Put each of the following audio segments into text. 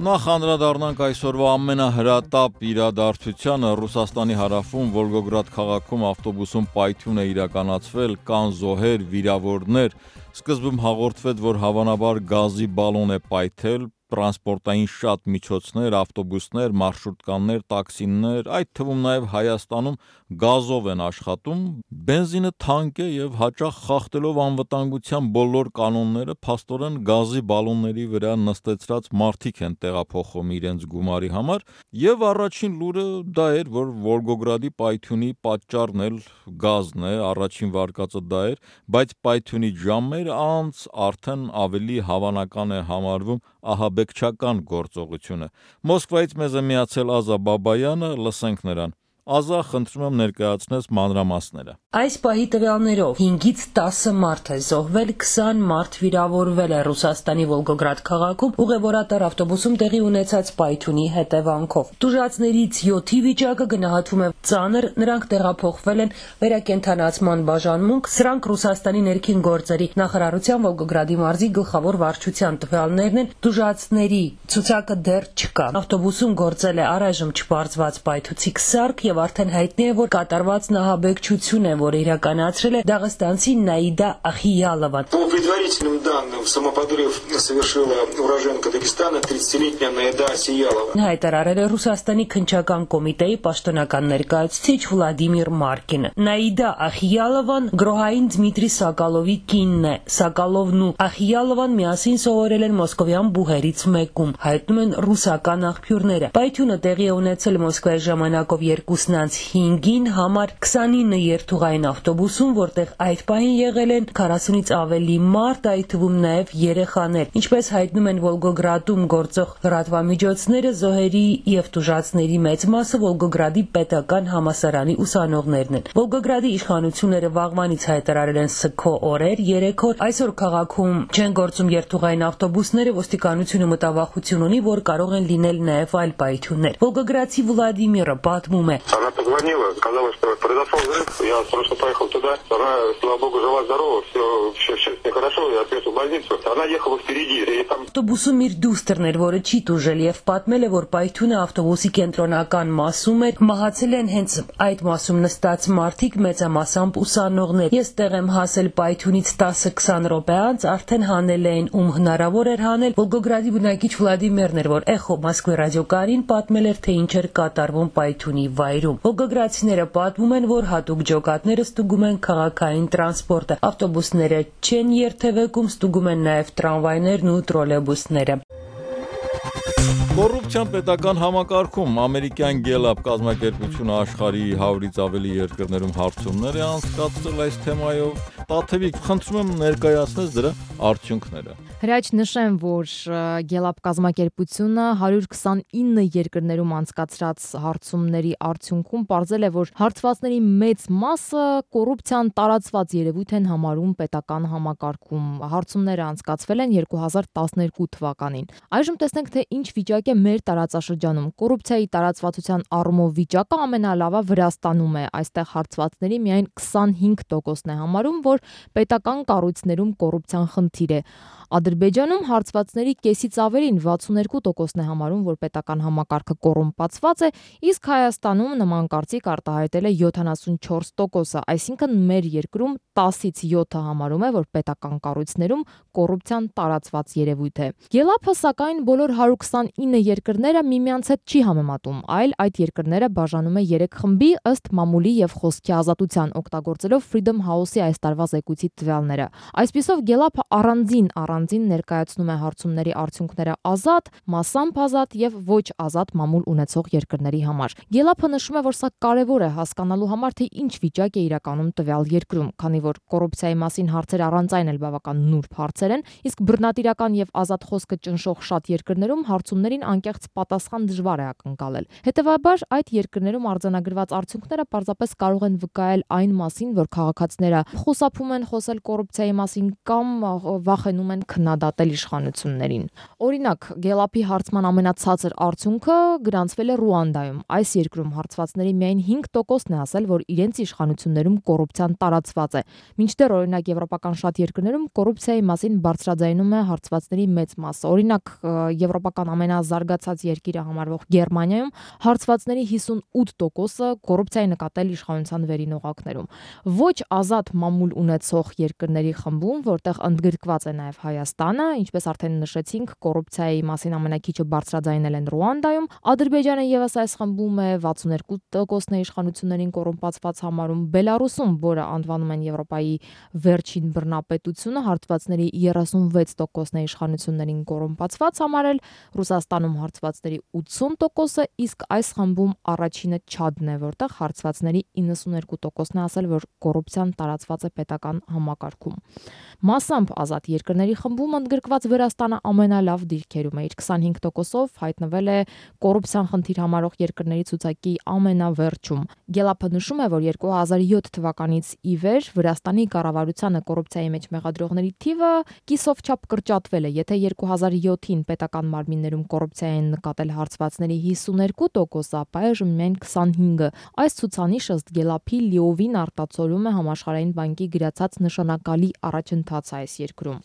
Նախ անդրադառնանք այսօրվա ամենահրատապ իրադարձությանը Ռուսաստանի հարավում Վոլգոգրադ քաղաքում ավտոբուսում պայթյուն է իրականացվել, կան զոհեր, վիրավորներ, սկզբում հաղորդվեց, որ հավանաբար գազի բալոն է պայթել, տրանսպորտային շատ միջոցներ, ավտոբուսներ, մարշրուտկաներ, տաքսիներ, այդ թվում նաև Հայաստանում գազով են աշխատում, բենզինը թանկ է եւ հաճախ խախտելով անվտանգության բոլոր կանոնները, փաստորեն գազի բալոնների վրա նստեցրած մարդիկ են տեղափոխում իրենց գումարի համար, եւ առաջին լուրը դա էր, որ Վոլգոգրադի պայթյունի պատճառն էլ գազն է, առաջին վարկածը դա էր, բայց պայթյունի ժամեր անց արդեն ավելի հավանական է համարվում ահաբեկչական գործողությունը։ Մոսկվայից մեզ է միացել Ազա Բաբայանը, լսենք նրան։ Ազա, խնդրում եմ ներկայացնես մանրամասները։ Այս պահի տվյալներով 5-ից 10 մարդ է զոհվել, 20 մարդ վիրավորվել է Ռուսաստանի Վոլգոգրադ քաղաքում ուղևորատար ավտոբուսում տեղի ունեցած պայթյունի հետևանքով։ Տուժածներից 7-ի վիճակը գնահատվում է ծանր, նրանք տեղափոխվել են վերակենդանացման բաժանմունք, սրանք Ռուսաստանի ներքին գործերի նախարարության Վոլգոգրադի մարզի գլխավոր վարչության տվյալներն են, տուժածների ցուցակը դեռ չկա։ Ավտոբուսում գործել է առայժմ չպարզված պայթուցիկ սարք եւ արդեն հայտնի է, որ կատարված նահաբեկչություն է, որը իրականացրել է դաղստանցի Նաիդա Ախիյալովան։ По предварительным данным, самоподрыв совершила уроженка Дагестана 30-летняя Наида Ахиялова. Հայտարարել է Ռուսաստանի քննչական կոմիտեի պաշտոնական ներկայացուցիչ Վլադիմիր Մարկինը։ Նաիդա Ախիյալովան գրոհային Դմիտրի Սակալովի կինն է։ Սակալովն ու Ախիյալովան միասին սովորել են մոսկովյան բուհերից մեկում, հայտնում են ռուսական աղբյուրները։ Պայթյունը տեղի է ունեցել Մոսկվայի ժամանակով 2:05-ին համար 29 երթուղային ավտոբուսում, որտեղ այդ պահին եղել են 40-ից ավելի մարդ, այդ թվում նաև երեխաներ։ Ինչպես հայտնում են Վոլգոգրադում գործող լրատվամիջոցները, զոհերի եւ տուժածների մեծ մասը Վոլգոգրադի պետական համալսարանի ուսանողներն են։ Վոլգոգրադի իշխանությունները վաղվանից հայտարարել են սգո օրեր, 3 օր։ Այսօր քաղաքում չեն գործում երթուղային ավտոբուսները, ոստիկանությունը մտավախություն ունի, որ կարող են լինել նաև այլ պայթյուններ։ Վոլգոգրադցի Վլադիմիրը պատմում է. Она позвонила, сказала, что произошел взрыв. Я срочно поехал туда. Она, слава богу, жива-здорова, все с ней хорошо, я отвез в больницу. Она ехала впереди, и там... Ավտոբուսում իր դուստրն էր, որը չի տուժել եւ պատմել է, որ պայթյունը ավտոբուսի կենտրոնական մասում էր, մահացել են հենց այդ մասում նստած մարդիկ, մեծամասամբ ուսանողներ։ Ես տեղ եմ հասել պայթյունից 10-20 րոպե անց, արդեն հանել էին, ում հնարավոր էր հանել։ Վոլգոգրադի բնակիչ Վլադիմիրն էր, որ Էխո Մոսկվի ռադիոկայանին պատմել էր, թե ինչ էր կատարվում պայթյունի վայրում։ Վոլգոգրադցիները պատմում են, որ հատուկ ջոկատները ստուգում են քաղաքային տրանսպորտը, ավտոբուսները չեն երթևեկում, ստուգում են նաև տրամվայներն ու տրոլեյբուսները։ Կոռուպցիան պետական համակարգում ամերիկյան Gallup կազմակերպությունը աշխարհի 100-ից ավելի երկրներում հարցումներ է անցկացրել այս թեմայով։ Տաթևիկ, խնդրում եմ ներկայացնես դրա արդյունքները։ Հրաչ նշեմ, որ Gallup կազմակերպությունը 129 երկրներում անցկացրած հարցումների արդյունքում պարզել է, որ հարցվածների մեծ մասը կոռուպցիան տարածված երևույթ են համարում պետական համակարգում։ Հարցումները անցկացվել են 2012 թվականին։ Այժմ տեսնենք, թե ինչ վիճակ է մեր տարածաշրջանում։ Կոռուպցիայի տարածվածության առումով վիճակը ամենալավը Վրաստանում է։ Այստեղ հարցվածների միայն 25%-ն է համարում, որ պետական կառույցներում կոռուպցիան խնդիր է։ Ադրբեջանում հարցվածների կեսից ավելին 62%-ն է համարում, որ պետական համակարգը կոռումպացված է, իսկ Հայաստանում նման կարծիք արտահայտել է 74%-ը, այսինքն մեր երկրում 10-ից 7-ը համարում է, որ պետական կառույցներում կոռուպցիան տարածված երևույթ է։ Gallup-ը սակայն բոլոր 129 երկրները միմյանց հետ չի համեմատում, այլ այդ երկրները բաժանում է 3 խմբի ըստ մամուլի եւ խոսքի ազատության, օգտագործելով Freedom House-ի այս տարվա զեկույցի տվյալները։ Այսպիսով Gallup-ը առանձին ներկայացնում է հարցումների արդյունքները ազատ, մասամբ ազատ եւ ոչ ազատ մամուլ ունեցող երկրների համար։ Gallup-ը նշում է, որ սա կարևոր է հասկանալու համար, թե ինչ վիճակ է իրականում տվյալ երկրում, քանի որ կոռուպցիայի մասին հարցեր առանց այն էլ բավական նուրբ հարցեր են, իսկ բռնատիրական եւ ազատ խոսքը ճնշող շատ երկրներում հարցումներին անկեղծ պատասխան դժվար է ակնկալել։ Հետևաբար այդ երկրներում արձանագրված արդյունքները պարզապես կարող են վկայել այն մասին, որ քաղաքացիները խուսափում են խոսել կոռուպցիայի մասին կամ վախենում են քննադատել իշխանություններին։ Օրինակ, Գելապի հարցման ամենացածր արդյունքը գրանցվել է Ռուանդայում։ Այս երկրում հարցվածների միայն 5%-ն է ասել, որ իրենց իշխանություններում կոռուպցիան տարածված է։ Մինչդեռ օրինակ եվրոպական շատ երկրներում կոռուպցիայի մասին բարձրաձայնում է հարցվածների մեծ մասը։ Օրինակ, եվրոպական ամենազարգացած երկիրը համարվող Գերմանիայում հարցվածների 58%-ը կոռուպցիայի նկատել իշխանության վերին օղակներում։ Ոչ ազատ մամուլ ունեցող երկրների խմբում, որտեղ ընդգրկված է նաև Հայաստանը, ինչպես արդեն նշեցինք, կոռուպցիայի մասին ամենակիչը բարձրաձայնել են Ռուանդայում, Ադրբեջանը եւս այս խմբում է 62%-ն է իշխանություններին կոռումպացված համարում, Բելարուսում, որը անվանում են Եվրոպայի վերջին բռնապետությունը, հարցվածների 36%-ն է իշխանություններին կոռումպացված համարել, Ռուսաստանում հարցվածների 80%-ը, իսկ այս խմբում առաջինը Չադն է, որտեղ հարցվածների 92%-ն է ասել, որ կոռուպցիան տարածված է պետական համակարգում։ Մասամբ ազատ երկրների խմբում ընդգրկված Վրաստանը ամենալավ դիրքերում է, իր 25%-ով հայտնվել է կոռուպցիան խնդիր համարող երկրների ցուցակի ամենավերջում։ Գելապը նշում է, որ 2007 թվականից ի վեր Վրաստանի կառավարությանը կոռուպցիայի մեջ մեղադրողների թիվը կիսով չափ կրճատվել է, եթե 2007-ին պետական մարմիններում կոռուպցիայի են նկատել հարցվածների 52%, ապա այժմ միայն 25-ը։ Այս ցուցանիշը ըստ Գելապի լիովին արտացոլում է Համաշխարհային բանկի գրացած նշանակալի առաջընթացը այս երկրում։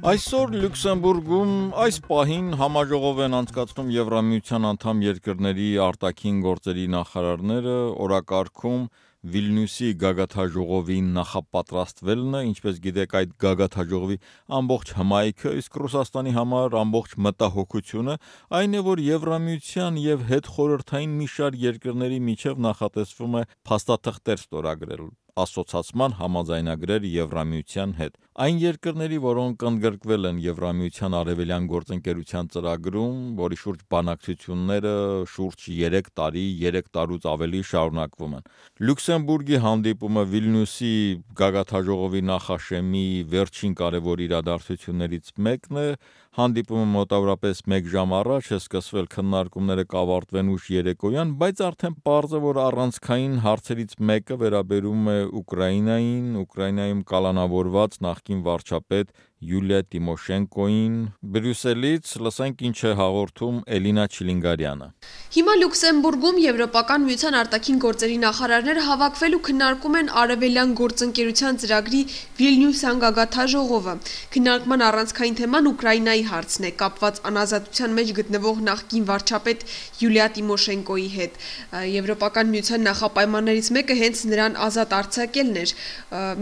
Այսօր Լյուքսեմբուրգում այս պահին համաժողով են անցկացնում Եվրամիության անդամ երկրների արտաքին գործերի նախարարները, օրակարգում Վիլնյուսի գագաթաժողովի նախապատրաստվելն է, ինչպես գիտեք, այդ գագաթաժողովի ամբողջ հմայքը, իսկ Ռուսաստանի համար ամբողջ մտահոգությունը այն է, որ Եվրամիության եւ հետխորհրդային մի շարք երկրների միջև նախատեսվում է փաստաթղթեր ստորագրել, ասոցացման համաձայնագրեր Եվրամիության հետ։ Այն երկրների, որոնք ընդգրկվել են Եվրամիության արևելյան գործընկերության ծրագրում, որի շուրջ բանակցությունները շուրջ 3 տարի, 3 տարուց ավելի շարունակվում են։ Լյուքսեմբուրգի հանդիպումը Վիլնյուսի գագաթաժողովի նախաշեմի վերջին կարևոր իրադարձություններից մեկն է։ Հանդիպումը մոտավորապես 1 ժամ առաջ է սկսվել, քննարկումները կավարտվեն ուշ երեկոյան, բայց արդեն պարզ է, որ առանցքային հարցերից մեկը վերաբերում է Ուկրաինայում կալանավորված նախկին վարչապետ Յուլիա Տիմոշենկոին։ Բրյուսելից լսենք ինչ է հաղորդում Էլինա Չիլինգարյանը։ Հիմա Լյուքսեմբուրգում Եվրոպական միության արտաքին գործերի նախարարները հավաքվել ու քննարկում են արևելյան գործընկերության ծրագրի Վիլնյուսյան գագաթաժողովը։ Քննարկման առանցքային թեման Ուկրաինայի հարցն է, կապված անազատության մեջ գտնվող նախկին վարչապետ Յուլիա Տիմոշենկոյի հետ։ Եվրոպական միության նախապայմաններից մեկը հենց նրան ազատ արձակելն էր,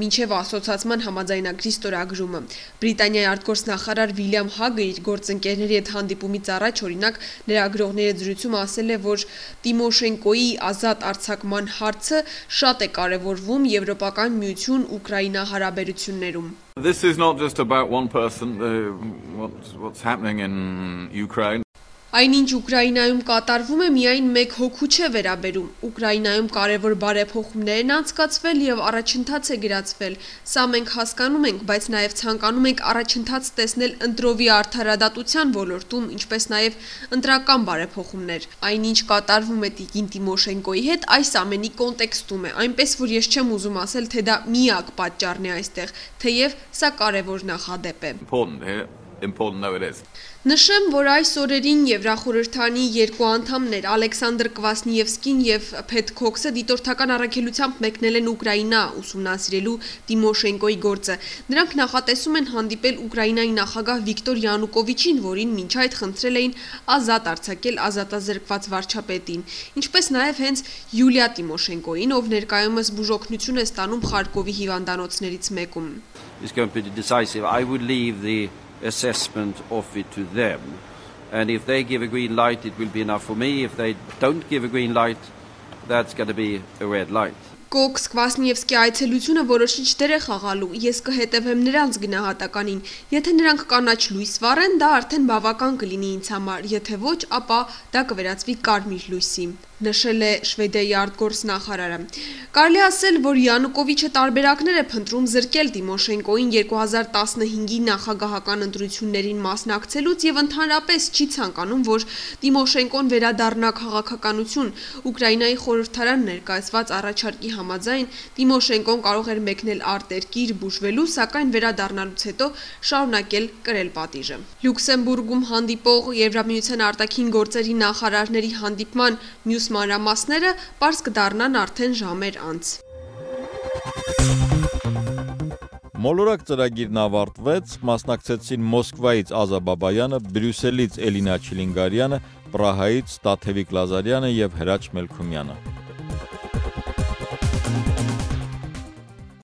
մինչև ասոցացման համաձայնագրի ստորագրումը։ Բրիտանիայի արտգործնախարար Վիլյամ Հագը իր գործընկերների հետ հանդիպումից առաջ, օրինակ, լրագրողների հետ զրույցում ասել է, որ Տիմոշենկոյի ազատ արձակման հարցը շատ է կարևորվում Եվրոպական միություն-Ուկրաինա հարաբերություններում։ This is not just about one person, what's happening in Ukraine. Այնինչ Ուկրաինայում կատարվում է միայն մեկ հոգու չէ վերաբերում։ Ուկրաինայում կարևոր բարեփոխումներ են անցկացվել եւ առաջընթաց է գրացվել։ Սա մենք հասկանում ենք, բայց նաեւ ցանկանում ենք առաջընթաց տեսնել ընտրովի արդարադատության ոլորտում, ինչպես նաեւ ընտրական բարեփոխումներ։ Այնինչ կատարվում է Տիկին Տիմոշենկոյի հետ այս ամենի կոնտեքստում է, այնպես որ ես չեմ ուզում ասել, թե դա միակ պատճառն է այստեղ, թեև սա կարևոր նախադեպ է։ Important though it is. Նշեմ, որ այս օրերին Եվրախորհրդանի երկու անդամներ Ալեքսանդր Կվասնիևսկին եւ Փեթ Քոքսը դիտորդական առաքելությամբ մեկնել են Ուկրաինա ուսումնասիրելու Տիմոշենկոյի գործը։ Նրանք նախատեսում են հանդիպել Ուկրաինայի նախագահ Վիկտոր Յանուկովիչին, որին մինչ այդ խնդրել էին ազատ արձակել ազատազրկված վարչապետին, ինչպես նաեւ հենց Յուլիա Տիմոշենկոյին, ով ներկայումս բուժօգնություն է ստանում Խարկովի հիվանդանոցներից մեկում։ It's going to be decisive. I would leave the assessment of it to them, and if they give a green light it will be enough for me. If they don't give a green light, that's going to be a red light. Կոքս Կվասնիևսկի այցելությունը որոշիչ դեր է խաղալու, ես կհետևեմ նրանց գնահատականին, եթե նրանք կանաչ լույս վառեն, դա արդեն բավական կլինի ինձ համար, եթե ոչ, ապա դա կվերածվի կարմիր լույսի։ նշել է Շվեդիայի արտգործնախարարը։ Կարելի ասել, որ Յանուկովիչը տարբերակներ է փնտրում զրկել Տիմոշենկոին 2015-ի նախագահական ընտրություններին մասնակցելուց եւ ընդհանրապես չի ցանկանում, որ Տիմոշենկոն վերադառնա քաղաքականություն։ Ուկրաինայի խորհրդարան ներկայացված առաջարկի համաձայն Տիմոշենկոն կարող էր մեկնել արտերկիր բուժվելու, սակայն վերադառնալուց հետո շարունակել կրել պատիժը։ Լյուքսեմբուրգում հանդիպող Եվրամիության արտաքին գործերի նախարարների հանդիպման մյուս մանրամասները պարզ կդառնան արդեն ժամեր անց։ Մոլորակ ծրագիրն ավարտվեց, մասնակցեցին Մոսկվայից Ազա Բաբայանը, Բրյուսելից Էլինա Չիլինգարյանը, Պրահայից Տաթևիկ Լազարյանը եւ Հրաչ Մելքումյանը։